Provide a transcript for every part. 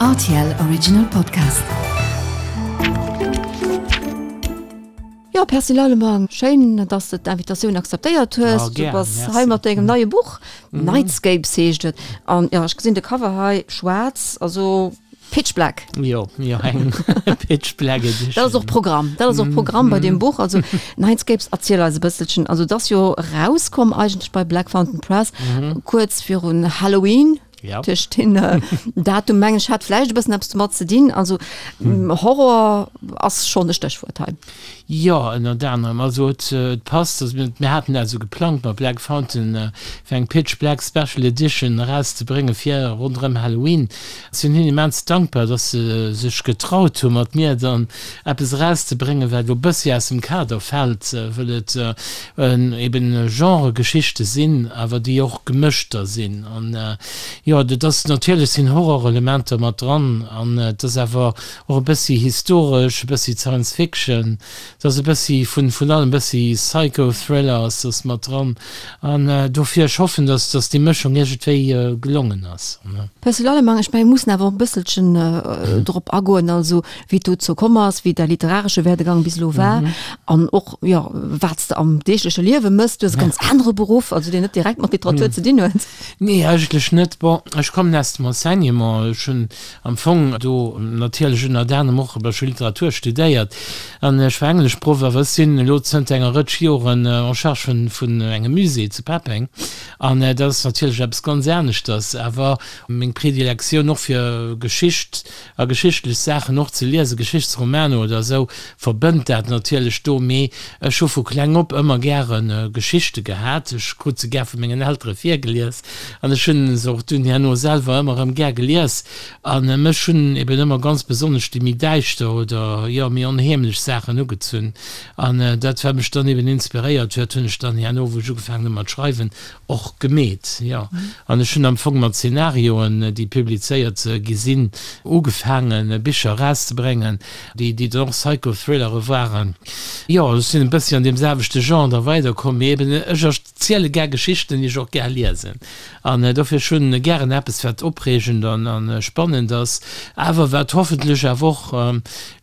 Rtl Original Podcast. Jo, Percy Lallemang, schéin, dass de d'Invitatioun akzeptéiert hues. Du bass hei mat dengem neie Buch, Nightscapes heescht et. An jo, ech gesinn de Cover hei, schwaarz, also Pitch Black. Jo, jo, eng Pitch Black Edition. Dat ass och Programm, dat ass och Programm bei deem Buch. Also Nightscapes, erziel eis e bësselchen. Also et ass jo erauskomm eigentlech bei Black Fountain Press, kuerz virun Halloween. Ja. Duerch den Datum mengen ech hat vläicht e bëssen eppes domat ze dinn. Also Horror ass schonn e Stéchwuert hei. Jo, ënnert anerem. Also et passt, also mir haten dat esou geplangt mat Black Fountain, fir eng Pitch Black Special Edition erauszebrénge fir ronderëm Halloween. Sinn hinnen immens dankbar, dass se sech getraut hu mat mir dann eppes erauszebréngen, wat elo e bëssi aus dem Kader fält, wëll et eben Genre-Geschichte sinn, awer déi och gemëschter sinn. An jo, et ass natierlech sinn Horrorelementer mat dran an et ass awer Och e bëssi historesch, e bëssi Science Fiction, et ass e bëssi vun vun allem, e bëssi Psycho-Thriller ass ass mat dran. An dofir, ech hoffen, dass dass déi Mëschung iergendwéi gelongen ass. Percy Lallemang, Ech mengen, mir mussen awer och e bësselchen drop agoen, also wéi et dozou komm ass, wéi däi literaresche Werdegang bis elo war an och, jo, wat s de am deegleche Liewe mëss. Du hues e ganz anere Beruff, also deen net direkt mat Literatur ze dinn huet. Nee, eigentlech net. Bon, ech kommen aus dem Enseignement. Ech hunn Am Fong do natierlech ënnert anerem och ech hu Literatur studéiert an ech war Engleschproff, awer ech sinn elo zënter enger Rëtsch Joren en charge vun engem Musée zu Peppeng an dat ass natierlech eppes ganz aneschters. Awer meng Predilektioun och fir Geschicht a geschichtlech Saachen och ze liesen, Geschichtsromaner oder esou, verbënnt dat natierlech do. Mee ech hu vu kleng op ëmmer gäre Geschichte gehat. Ech krut se gär vu mengen Eltere virgelies. An ech hunn se och dunn herno selwer ëmmer erëm gär gelies. A mech hunn eben ëmmer ganz besonnesch déi méi däischter oder, jo, méi onheemlech Saachen ugezunn. An dat, wat mech dann eben inspiréiert huet, hunn ech dann herno, wou ech ugefaangen hu mat schreiwen, och gemeet, jo. An ech hunn am Fong mat Zenarioen, déi publizéiert gi sinn, ugefaangen, Bicher erauszebréngen, déi, déi dann och Psychothrillere waren. Jo, ech sinn e bëssi an deem selwechte Genre da weiderkomm, mee eben ech Ziele gär Geschichten, déi ech och gär liesen. An dofir, ech hunn gären eppes, wat opreegend an a spannend ass, awer wat hoffentlech awer och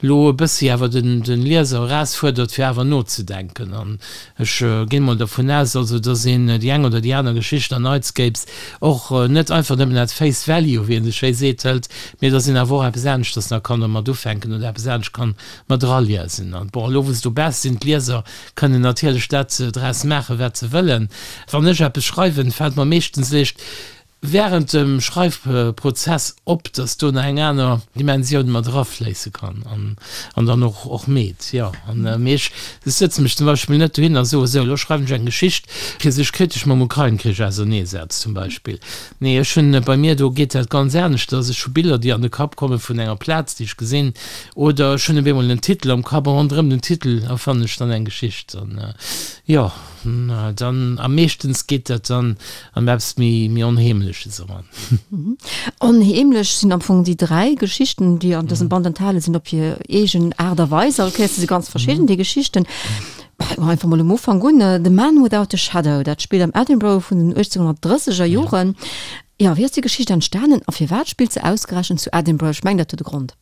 elo e bëssi awer den den Lieser erausfuerdert, fir awer nozedenken. An ech ginn mol dervun aus, also dass een déi eng oder déi aner Geschicht an Nightscapes och net einfach nëmmen at face value, wéi een esou schéi seet, hëlt, mee dass een awer och eppes aneschters nach kann dermat ufänken oder eppes anescht kann mat eraliesen. An bon, elo wou se dobausse sinn, d'Lieser, Kënnen natierlech dat draus maachen, wat se wëllen. Wann ech eppes schreiwen, fält mer meeschtens eréischt wärend dem Schreifprozess op, dass do nach eng aner Dimensioun mat erafléisse kann an dann och och meet. Jo, an mee ech sëtze mech zum Beispill net dohin a soe sou, elo schreiwen ech eng Geschicht, fir sech kritesch mam Ukrain-Krich auserneesetzt zum Beispill. Nee, ech hunn, bei mir do geet dat ganz aneschters, ech hu Biller, déi an de Kapp komme vun enger Plaz, déi ech gesinn, Oder ech hunn op eemol en Titel am Kapp a ronderëm den Titel erfannen ech dann eng Geschicht. An jo, dann a meeschtens geet dat dann an eppes méi, méi Onheemleches eran. Onheemlech sinn am Fong déi 3 Geschichten, déi an dësem Band enthale sinn, op hir eegen Aart a Weis. All Kéiers si se ganz verschidden, déi Geschichten. Fänke mer einfach mol um Ufank un, The Man Without a Shadow, dat spillt am Edinburgh vun den 1830er Joren. Jo, wéi ass déi Geschicht entstanen a firwat spillt se ausgerechent zu Edinburgh? Ech mengen, dat huet e Grond.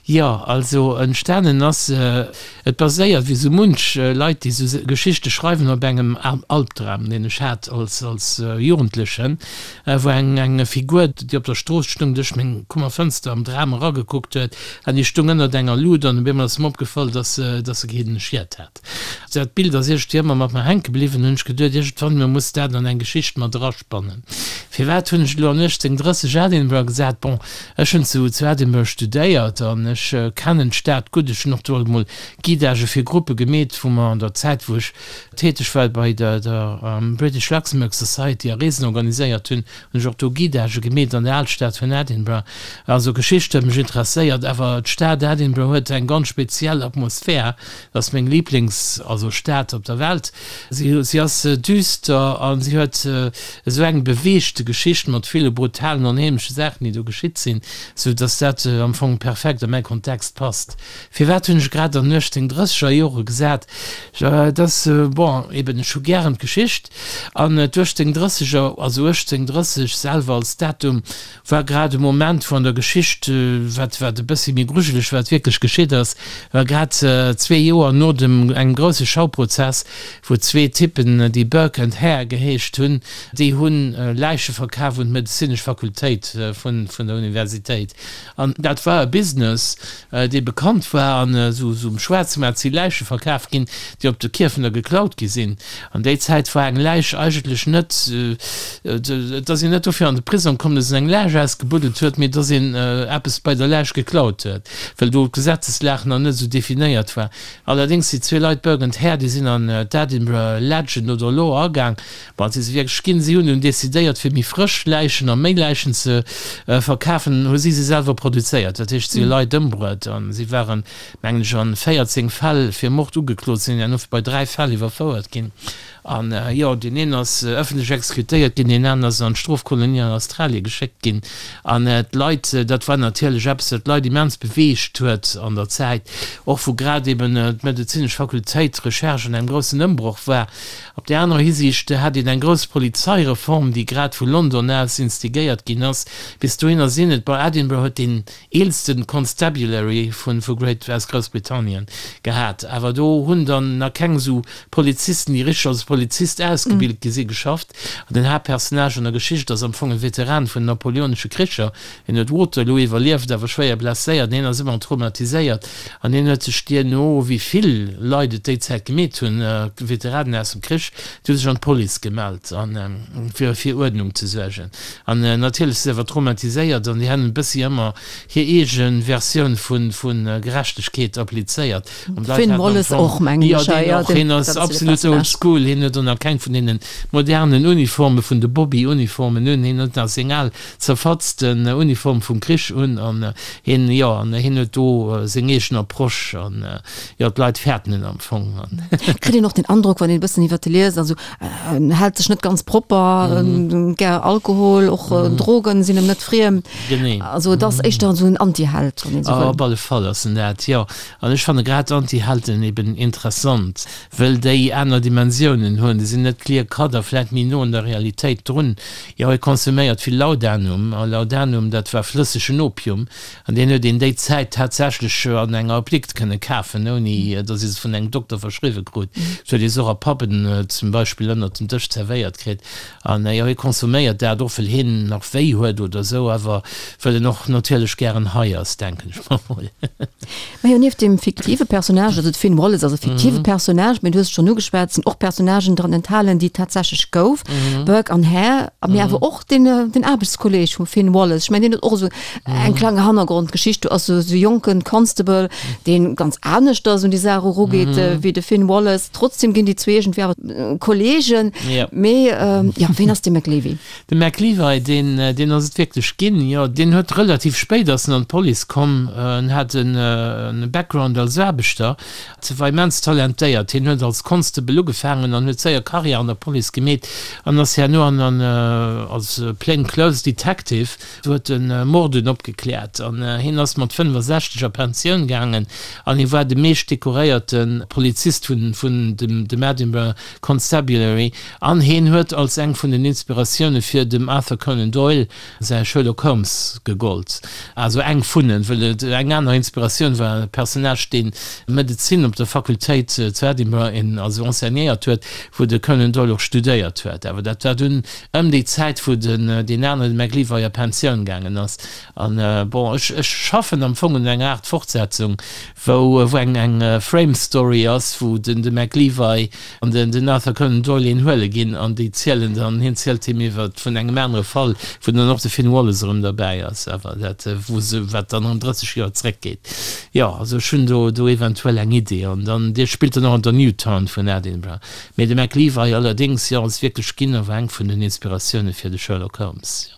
Jo, also entstanen ass se, et baséiert, wéi sou munch Leit, déi sou Geschichte schreiwen, op engem Albdram, deen ech hat als als Jugendlechen, wou eng eng Figur, déi op der Strooss stung, duerch meng Kummerfënster am Dram eragekuckt huet an déi stung ënnert enger Lut an op eemol ass mer opgefall, dass se dass se keen Schiet hat. Dat Bild ass iergendwéi ëmmer mat mer hänke bliwwen, hunn ech geduet, iergendwann emol muss dat an eng Geschicht mat eraspannen. Firwat hunn ech elo an 1830 Edinburgh gesat? Bon, ech hunn zu zu Edinburgh studéiert an ech kennen d'Stad gutt. Ech hunn och do alt emol Guidagë fir Gruppe gemeet, wou mer an der Zäit, wou ech täteg war bei der der British Luxembourg Society a Reesen organiséiert hunn, hunn ech och do Guidagë gemeet an der Alstad vun Edinburgh. Also Geschicht huet mech interesséiert, awer d'Stad Edinburgh huet eng ganz speziell Atmosphär. Dat ass meng Lieblings, also Stad op der Welt. Si, si ass düster a si huet esou eng beweegte Geschicht. Geschicht mat ville brutalen, onheemleche Saachen, déi do geschitt sinn, sou dass dat am Fong perfekt a mäi Kontext passt. Firwat hunn ech grad an den 1830er Jore gesat? Et ass, bon, eben, ech hu gären d'Geschicht an d'Uechtzehnddrësseger, also 1830 selwer als Datum, war grad e Moment, wou an der Geschicht, wat wat e bëssi méi grujeleg wat wierklech geschitt ass, war grad zwee Joer no dem engem grousse Schauprozess, wou zwee Typpen, déi Burke and Hare geheescht hunn, déi hu Läiche verkaf un d'medezinesch Fakultéit vun vun der Universitéit. An dat war e Business, dee bekannt war, an esou um Schwaarzmaart si Läiche verkaf ginn, déi op de Kierfener geklaut gi sinn. An déi Zäit war eng Läich eigentlech net, et ass een net dofir an de Prisong komm, datt een eng Läich ausgebuddelt huet, mee datt een eppes bei der Läich geklaut huet, well do d'Gesetzeslag nach net esou definéiert war. Allerdéngs déi zwee Leit, Burke and Hare, déi sinn an d'Edinburgh Legend oder Law agaang, Bon, si se wierklech ginn. Si hunn dunn decidéiert, fir méi frësch Läichen a méi Läichen ze verkafen, hu si se selwer produzéiert. Dat heescht, si hu Leit ëmbruet a si waren, mengen ech, an 14 Fäll fir Mord ugeklot, sinn herno bei 3 Fäll iwwerfouert ginn. An jo, deen een ass ëffentlech exekutéiert ginn, deen aneren ass an d'Strofkolonie an Australie geschéckt ginn. An d'Leit, dat war natierlech eppes, wat d'Leit immens beweegt huet an der Zäit, och wou grad eben d'medezinesch Fakultéit, d'Recherche an engem groussen Ëmbroch war. Op där anerer Hisiicht hat een eng grouss Polizeireform, déi grad vu London aus instigéiert ginn ass. Bis dohinner sinn et, bon, Edinburgh huet deen eelsten Constabulary vun vu Great aus Groussbritannien gehat, awer do hunn dann nach keng esou Polizisten, déi richteg als Polizist ausgebilt gi si, geschafft. An den Haaptpersonnage an der Geschicht ass am Fong e Veteran vun den napoleonesche Kricher, Hien huet Waterloo iwwerlieft, awer schwéier blesséiert. Hien ass ëmmer traumatiséiert an hien huet sech duerno, wéi vill Leit et déi Zäit gemeet hunn, Veteranen aus dem Krich, déi hu sech an d'Police gemellt an fir fir Uerdnung ze suergen. An natierlech si se awer traumatiséiert an déi han e bëssi ëmmer hir eege Versioun vu vu Gerechtegkeet applizéiert. An d'Leit Finn haten am Wallace Fong, och, mengen jo ech, deen och, hien ass absolut old school, hien huet och nach keng vun deene modernen Uniforme vun de Bobby-Uniformen un, hien huet nach seng al zerfatzten Uniform vum Krich un an hien, jo, an hien huet do seng eegen Approche an, jo, d'Leit fäerten en am Fong an. Kritt een och den Androck, wann een e bëssen iwwert e liest, also en hält sech net ganz propper, gär Alkohol, och Drogen sinn em net friem. Genee. Also et ass éischter esou en Antiheld, wann een esou wëll. Op alle Fall ass en dat, jo. An ech fanne grad Antihelden eben interessant. Wëll déi aner Dimensiounen hunn, déi sinn net clear cut a vläit méi no un der Realitéit drun. Jo, hie konsuméiert vill Laudanum, a Laudanum, dat war flëssegen Opium, an deen huet een déi Zäit tatsächlech an enger Apdikt kënne kafen, ouni datt ee se vun engem Dokter verschriwwe krut. Et huet ee se och a Pubben zum Beispill ënnert dem Dësch zerwéiert kritt. An jo, hie konsuméiert dat och, wëll hien nach wéi huet oder esou, awer wëll en och natierlech gären hei ass, denken ech mer mol. Majo, nieft dem fiktive Personnage, also de Finn Wallace ass e fiktive Personnage, mee du hues et schonn ugeschwat, et sinn och Personnagen dran enthalen, déi et tatsächlech gouf, Burke an Hare, mee awer och den, den Aarbechtskolleeg vum Finn Wallace. Ech mengen, deen huet och esou eng kleng Hannergrondgeschicht. Do ass esou e jonken Constable, deen ganz aneschters un déi Saach erugeet wéi de Finn Wallace. Trotzdem ginn déi zwee iergendwéi awer Kolleegen. Mee jo, ween ass de McLevy? De McLevy, deen, deen ass et wierklech ginn, jo. Deen huet relativ spéit ass en an d'Police komm. En hat en Background als Aarbechter, war immens talentéiert. Hien huet als Constable ugefaangen an huet séier Karriär an der Police gemeet an ass herno an an als Plain Clothes Detective, huet e Morden opgekläert an hien ass mat 65 a Pensioun gaangen an hie war de meescht dekoréierte Polizist vun vun dem dem Edinburgh Constabulary an hien huet als eng vun den Inspiratioune fir dem Arthur Conan Doyle säi Sherlock Holmes gegollt. Also eng vun en, wëll et eng aner Inspiratioun war, e Personnage deen Medezin op der Fakultéit zu Edinburgh en also enseignéiert huet, wou de Conan Doyle och studéiert huet. Awer dat war dunn ëm déi Zäit wou den deen aneren, de MacLevy, a Pensioun gaangen ass. An bon, ech ech schaffen am Fong un enger Aart Fortsetzung, wou wou eng eng Frame Story ass, wou den de MacLevy an den den Arthur Conan Doyle een huele ginn an déi zielen dann, hien zielt him iwwer vun engem anere Fall, wou dann och de Finn Wallace erëm derbäi ass, awer dat wou se wat dann erëm 30 Joer zréckgeet. Jo, also ech hunn do do eventuell eng Idee an dann dee spillt dann och an der New Town vun Edinburgh. Mee de MacLevy allerdéngs, jo, ass wierklech ginn a war eng vun den Inspiratioune fir de Sherlock Holmes, jo.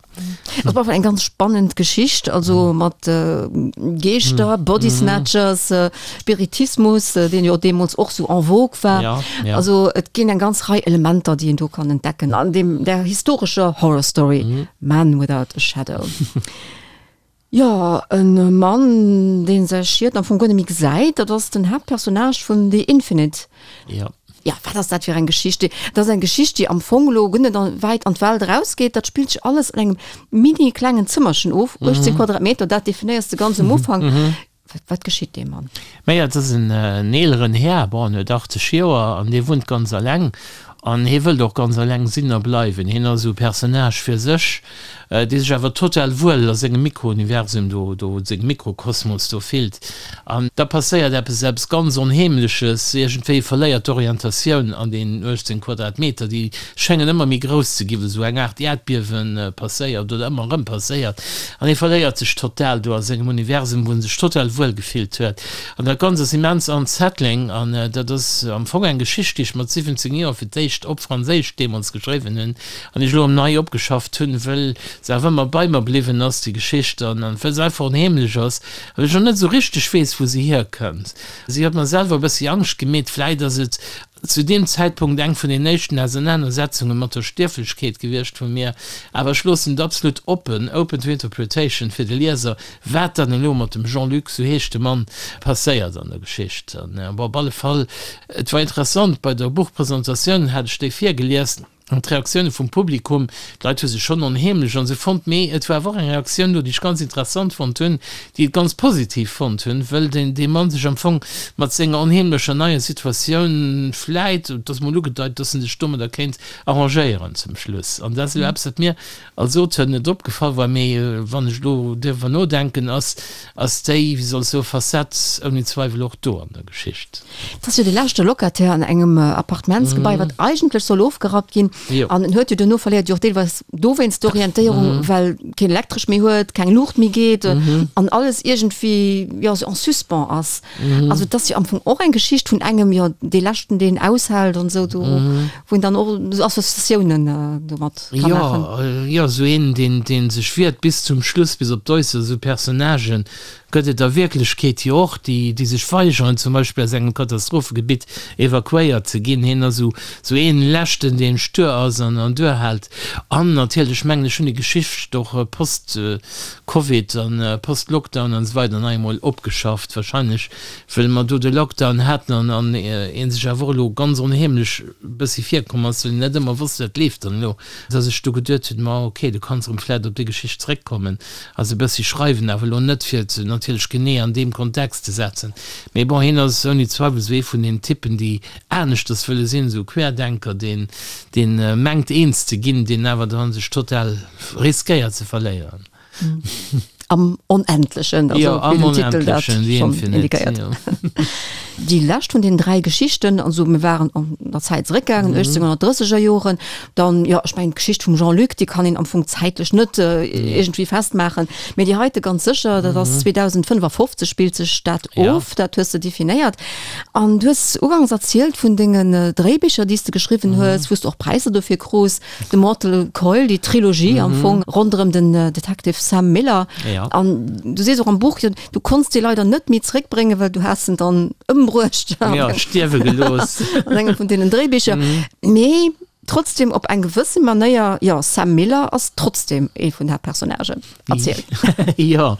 Dat war eng ganz spannend Geschicht, also mat Geeschter, Body Snatchers, Spiritismus, deen jo deemools och sou en vogue war. Ja, ja. Also et ginn eng ganz Rei Elementer, déi een do kann entdecken an deem där historescher Horror Story Man without a Shadow. Jo, e Mann, dee säi Schiet am Fong guer net méi gesäit, dat ass den Haaptpersonnage vun The Infinite. Ja. Ja, wat ass dat fir eng Geschicht? Dat ass eng Geschicht, déi am Fong elo guer net wäit an d'Welt erausgeet. Dat spillt sech alles an engem mini klengen Zëmmerchen of, 18 Quadratmeter, dat definéiers de ganz um Ufank. Wat, wat geschitt deem Mann? Maja, et ass en eeleren Här, bon, en huet 80 Joer an dee wunnt ganz alleng an hie wëllt och ganz alleng sinn a bleiwen. Hien ass esou e Personnage fir sech, dee sech awer total wuel a sengem Mikrouniversum do, do, sengem Mikrokosmos do fillt. An da passéiert eppes, eppes ganz Onheemleches, iergendwéi, e verléiert d'Orientatioun an deenen 18 Quadratmeter, déi schéngen ëmmer méi grouss ze ginn, wou esou eng Aart Äerdbiewe passéiert oder ëmmer erëm passéiert. An hie verléiert sech total do a sengem Universum, wou en sech total wuel gefillt huet. An dat Ganzt ass immens unsettling. An dat ass am Fong eng Geschicht, déi ech mat 17 Joer fir d'éischt op Franséisch deemools geschriwwen hunn an déi ech elo erëm nei opgeschafft hunn, wëll se awer ëmmer bei mer bliwwen ass, déi Geschicht, an wëll se einfach onheemlech ass a wëll ech och net esou richteg weess, wou se hierkënnt. Si huet mer selwer e bëssi Angscht gemeet. Vläit ass et zu deem Zäitpunkt eng vun den éischten Ausernanersetzunge mat der Stierflechkeet gewiescht vu mir, awer ech loossen et absolut oppen, open to interpretation, fir de Lieser, wat dann elo mat dem Jean-Luc, sou heescht de Mann, passéiert an der Geschicht. An bon, op alle Fall, et war interessant, bei der Buchpresentatioun hat ech déi virgelies, An d'Reaktioune vum Publikum, d'Leit hu sech schonn onheemlech an esou fonnt, mee et war awer och eng Reaktioun do, déi ech ganz interessant fonnt hunn, déi et ganz positiv fonnt hunn, wëll deen dee Mann sech am Fong mat senger onheemlecher neier Situatioun vläit, et ass mol ugedeit, dass en sech domadder kéint arrangéieren zum Schluss. An dat ass elo eppes, wat mir als Auteur net opgefall war, mee wann ech elo driwwer nodenken, ass ass déi, wéi soll ech soen, Facette ouni Zweiwel och do an der Geschicht. Et ass jo de leschte Locataire an engem Appartementsgebai, wat eigentlech soll ofgerappt ginn. An en huet jo duerno, verléiert jo och deelweis dowéinst d'Orientéierung, well keen Elektresch méi huet, keng Luucht méi geet an alles iergendwéi, jo, sou en suspens ass. Also et ass jo am Fong och eng Geschicht vun engem, jo, dee leschten, deen aushält an esou, do, wou een dann och esou Associatiounen domat ka maachen. Jo, jo, esou een, deen, dee sech wiert bis zum Schluss, bis op d'Äusserst, esou Personnagen gëtt et a Wierklechkeet jo och, déi, déi sech weigeren, zum Beispill aus engem Katastrophegebitt evakuéiert ze ginn. Hien ass esou, esou een Leschten, deen stur ass an, an duerhält. An natierlech, mengen ech, hunn déi Geschicht och post Covid an post Lockdown an esou weider nach eemol opgeschafft, wahrscheinlech wëll mer do de Lockdown haten an, an ee sech awer och elo ganz onheemlech e bëssi virkomm ass, well een net ëmmer wosst, wat leeft dann elo, dass ech do geduet hunn, ma ok, du kanns erëm vläicht op déi Geschicht zeréckkommen a se e bëssi schreiwen, awer elo net fir se natierlech genee an deem Kontext ze setzen. Mee bon, hien ass ouni Zweiwel esou ee vun den Typen, déi aneschters wëlle sinn, esou e Querdenker, deen, deen mengt eens ze ginn, deen awer dann sech total riskéiert ze verléieren. Am Onendlechen, also Jo, wéi am den Titel dat Onendlechen, The schonn Infinite, indiquéiert. jo. Déi lescht vun den 3 Geschichten, also mir waren an der Zäit zeréckgaangen, 1830er Joren, dann, jo, ech mengen d'Geschicht vum Jean-Luc, déi kann een am Fong zäitlech net iergendwéi festmaachen, mee déi heite ganz sécher, dat ass 2055 spillt sech dat of, dat hues de definéiert. An du hues ugangs erzielt vun dengen Dréibicher, déi s de geschriwwen hues, wou s de och Präisser dofir krus, The Mortal Coil, déi Trilogie am Fong ronderëm den Detective Sam Miller. An du sees och am Buch, jo, du konns déi leider net méi zréckbréngen, well du has en dann ëmbruecht. Jo, stierwe gelooss. An engem vun deenen Dréibicher. Mee trotzdem op eng gewësse Manéier, jo, Sam Miller ass trotzdem ee vun de Haaptpersonnagen. Erziel. Jo,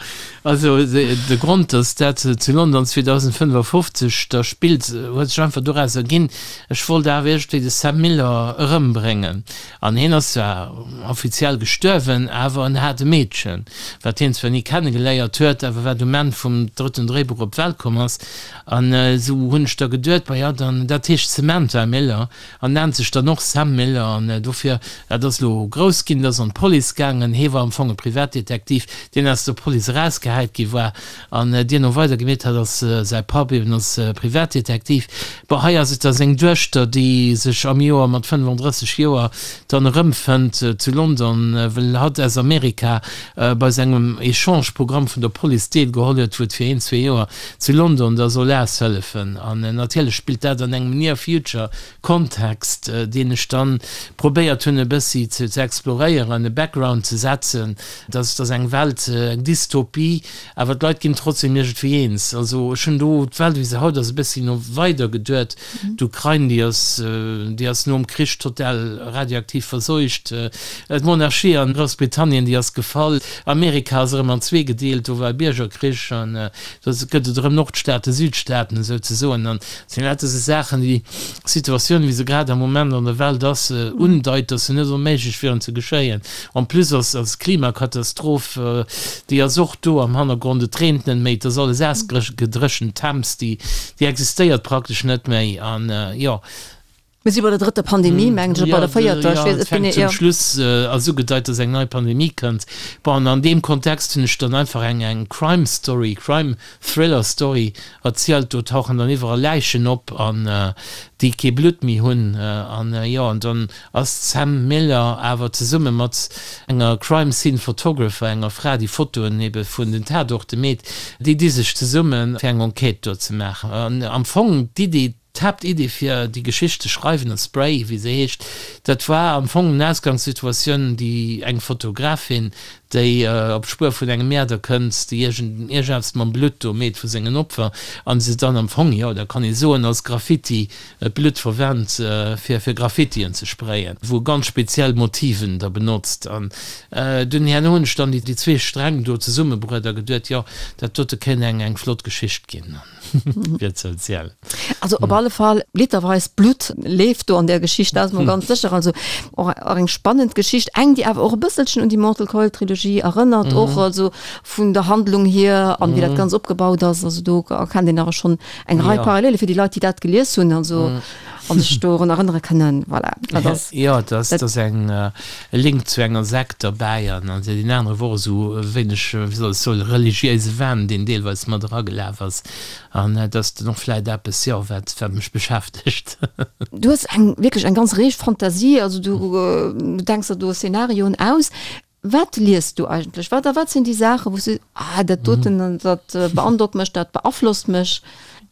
also de Grond, datt dat zu London 2055 da spillt, huet sech einfach doraus erginn, ech wollt awer iergendwéi de Sam Miller erëmbréngen. An hien ass zwar offiziell gestuerwen, awer en hat e Meedchen, wat hien zwar ni kennegeléiert huet, awer wat um Enn vum drëtten Dréibuch op d'Welt komm ass. An esou hunn ech da geduet, ma jo, dann, dat heescht Samantha Miller, An nennt sech dann och Sam Miller an dofir, dat ass elo grouss ginn, dat ass an d'Police gaangen. Hee war am Fong e Privatdetektiv, deen aus der Police erausgehäit gi war an deen och weider gemeet hat als säi Papp eben als Privatdetektiv. Bon, hei ass et da seng Duechter, déi sech am Joer mat 35 Joer dann erëmfënnt zu London, well hatt aus Amerika bei sengem Echange-Programm vun der Police deelgeholl huet, wou et fir een, zwee Joer zu London da soll aushëllefen. An natierlech spillt dat an engem Near Future Kontext, deen ech dann. dann probéiert hunn e bëssi ze exploréieren, e Background ze setzen, dass dass eng Welt, eng Dystopie, awer d'Leit ginn trotzdem iergendwéi eens. Also ech hunn do d'Welt wéi se haut ass e bëssi no weider geduet. D'Ukrain déi ass déi ass nom Krich total radioaktiv verseucht, d'Monarchie an Groussbritannien déi ass gefall, Amerika ass erëm an zwee gedeelt, do war e Biergerkrich an do gëtt et erëm Nordstaaten, Südstaaten esou ze soen an et sinn lauter esou Saachen déi d'Situatioun wéi se grad am Moment an der Welt ass undeit, datt se net onméiglech wieren ze geschéien. En plus ass ass d'Klimakatastroph déi ass och do am Hannergrond, et reent net méi, et ass alles ausgedréchent, d'Thames déi déi existéiert praktesch net méi an jo. Mir si bei der drëtter Pandemie, mengen ech, oder bei der véierter, ech weess et genee, jo. Zum Schluss ass ugedeit, datt eng nei Pandemie kënnt. Bon, an an deem Kontext hunn ech dann einfach eng eng Crime Story, Crime Thriller Story erzielt. Do tauchen dann iwwerall Läichen op an déi kee Blutt méi hunn an jo, an dann ass d'Sam Miller awer zesumme mat enger Crime Scene Photographer, enger Fra déi Fotoen ebe vun den Tatorte meet, déi di sech zesummen fir eng Enquête do ze maachen. An am Fong d'Iddi, d'Haaptiddi fir déi Geschicht ze schreiwen, A Spray wéi se heescht, dat war am Fong en Ausgangssituatioun déi eng Fotografin, déi op d'Spuer vun engem Mäerder kënnt, déi iergend iergendeppes mam Blutt do meet vu sengen Opfer an se dann am Fong, jo da kann ee soen, als Graffiti d'Blutt verwennt fir fir Graffitien ze sprayen, wou ganz speziell Motiven da benotzt. An dunn herno hunn ech dann déi zwee Sträng do zesummebruet a geduet, jo dat dote kéint eng eng flott Geschicht ginn fir ze erzielen. Also op alle Fall literweis Blutt leeft do an där Geschicht, dat ass mol ganz sécher. Also och och eng spannend Geschicht, eng déi awer och e bësselchen un déi Mortal Coil Trilogie erënnert och, also vun der Handlung hier an wéi dat Ganzt opgebaut ass. Also do erkennt een awer schonn eng Rei Parallele fir déi Leit, déi dat gelies hunn, also an sech dorun erënnere kënnen. Voilà, dat ass. Jo, et ass, et ass eng e Link zu enger Sekt derbäi an an deen anere wor esou e wéineg, wéi soll ech soen, religiéise Wahn, deen deelweis mat eragelaf ass. An dat ass dann och vläit eppes, jo, wat, wat mech beschäftegt. Du hues eng, wierklech eng ganz reeg Fantasie, also du denks der do Szenarioen aus. Wat liest du eigentlech? Wat a wat sinn déi Saachen, wou s du, ah dat doten, dat beandrockt mech, dat beaflosst mech?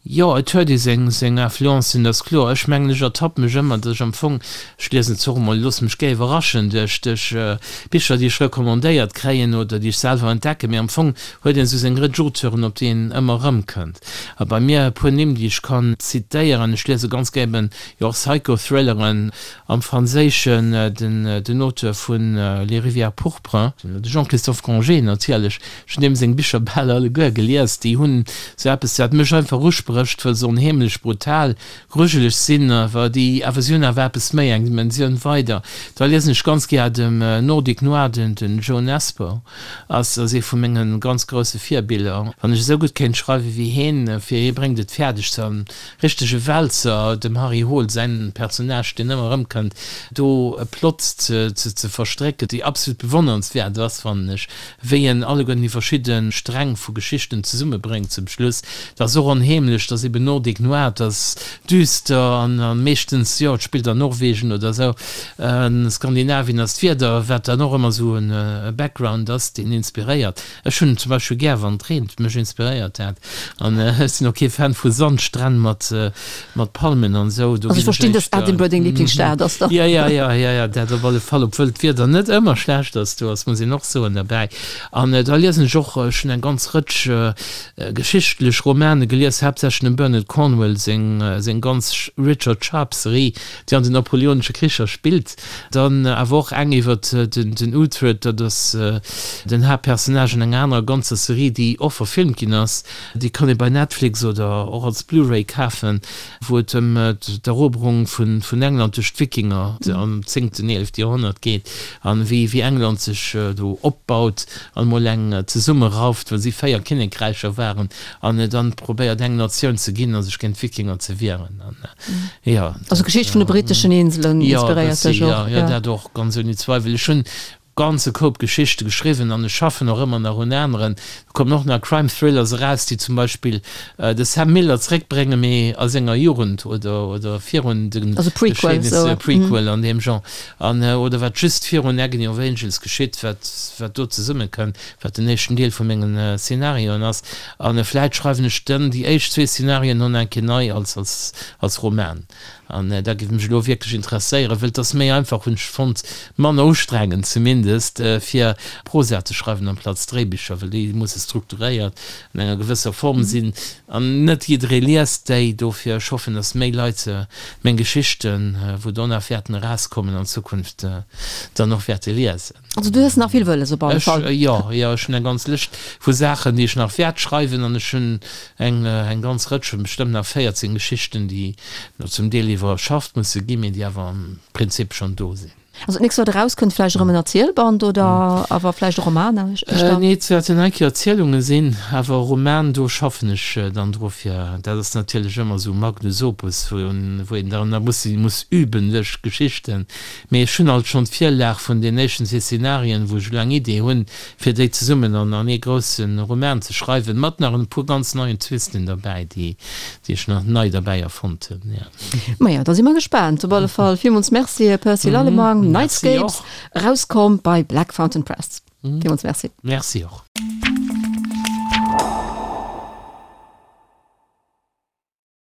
Jo, et huet ee seng, seng Influencen, dat ass kloer. Ech mengen, ech ertappe mech ëmmer, datt ech am Fong, ech liesen zwar och emol, loosse mech gär iwwerraschen duerch, duerch Bicher, déi ech recommandéiert kréien oder déi ech selwer entdecken, mee am Fong huet een esou seng Rëtsch Auteuren, op déi een ëmmer erëmkënnt. A bei mir e puer Nimm, déi ech kann zitéieren, ech liese ganz gär eben, jo och Psychothrilleren, Am Franséischen den Auteur vu Les rivières pourpres, de Jean-Christophe Grangé natierlech. Ech hunn deem seng Bicher bal alleguer gelies. Déi hunn esou eppes, wat mech einfach usprécht, wëll se onheemlech brutal, grujeleg sinn, awer déi awer si hunn awer eppes méi, eng Dimensioun weider. Da liesen ech ganz gär dem Nordic Noir, den Jo Nesbø ass ass ee vu menge ganz grousse Virbiller. Wann ech esou gutt kéint schreiwe wéi heen, fir hie bréngt et fäerdeg ze Richtege Wälzer, dem Harry Hole säin Personnage, deen ëmmer erëmkënnt, do e Plot ze verstrécken, déi absolut bewonnernswäert ass, fannen ech, wéi en alleguerten déi verschidde Sträng vu Geschichten zesummebréngt zum Schluss. Dat ass och onheemlech, dat ass eben Nordic Noir, dat ass düster an meeschtens, jo, et spillt an Norwegen oder esou, Skandinavien ass d'Wieder, wat dann och ëmmer esou e Background ass, deen inspiréiert. Ech hunn zum Beispill gär wann et reent, mech inspiréiert dat. An ech sinn och kee Fan vu Sandstränn mat mat Palmen an esou. Do Also ech verstinn, dass Edinburgh deng Lieblingsstad ass dann. Ja, ja, ja, ja, ja, dat op alle Fall, obwuel d'Wieder net ëmmer schlecht ass do ass, muss een och soen derbäi. An da liesen ech och, ech hunn eng ganz Rëtsch geschichtlech Romane gelies, haaptsächlech dem Bernard Cornwell seng seng ganz Richard Sharpe Serie, déi an den napoleonesche Kricher spillt. Dann awer och eng iwwer den Uhtred, dat ass den Haaptpersonnage an enger anerer ganzer Serie, déi och verfilmt ginn ass. Déi kann ee bei Netflix oder och als Blu-ray kafen, wou et ëm d'Eroberung vun England duerch d'Wikinger am zéngten, eelefte Joerhonnert geet an wéi England sech do opbaut an emol eng zesummerauft, well si 4 Kinnekräicher waren an dann probéiert eng Natioun ze ginn a sech géint d'Wikinger ze wieren. Ja, also Geschicht vun de britteschen Inselen inspiréiert dech och? Jo, dat och, ganz ouni Zweiwel. Ech hunn. ganze Koup Geschichte geschriwwen an ech schaffen och ëmmer nach un aneren. Do kommen och nach Crime Thrillers eraus, déi zum Beispill de Sam Miller zréckbréngen, mee a senger Jugend oder oder virun de Also Prequel, Geschehnisser, esou. Prequel an deem Genre, an oder wat just virun Agony of Angels geschitt, wat wat do zesummekënnt, wat den éischten Deel vu mengen Szenarioen ass. A vläit schreiwen ech dann déi éischt zwee Szenarioen och nach eng Kéier nei als als als Roman. An dat géif mech elo wierklech interesséieren, wëll et ass méi einfach, hunn ech fonnt, manner ustrengend zumindest, fir Prosa ze schreiwen amplaz Dréibicher, well déi musse strukturéiert an enger gewësser Form sinn an net jidderee liest déi. Dofir, ech hoffen, datt méi Leit meng Geschichten, wou do nach wäerten erauskommen an Zukunft, dann och wäerte liesen. Also du hues nach vill wëlles op alle Fall. Ech, jo, jo, ech hunn eng ganz Lëscht vu Saachen, déi ech nach wäert schreiwen an ech hunn eng, eng ganz Rëtsch, bestëmmt nach 14 Geschichten, déi nach zum Deel iwwerschafft musse ginn, mee déi awer am Prinzip schonn do sinn. Also d'nächst wat erauskënnt, vläicht erëm en Erzielband oder awer vläicht e Roman éischter? Nee, et wäerten eng Kéier Erzielunge sinn, awer e Roman, do schaffen ech dann dru fir, dat ass natierlech ëmmer esou Magnus Opus, wou een dann da muss, muss üben duerch Geschichten. Mee ech hunn alt schonn d'Virlag vun den éischten zwee Szenarien, wou ech elo eng Idee hunn, fir déi zesummen an an ee grousse Roman ze schreiwen, mat nach en puer ganz neien Twisten derbäi, déi déi ech nach nei derbäi erfonnt hunn, jo. Maja, da si mer gespaant. Op alle Fall villmools Merci, Här Percy Lallemang. Merci Nightscapes, och. erauskomm bei Black Fountain Press. Villmools Merci. Merci och.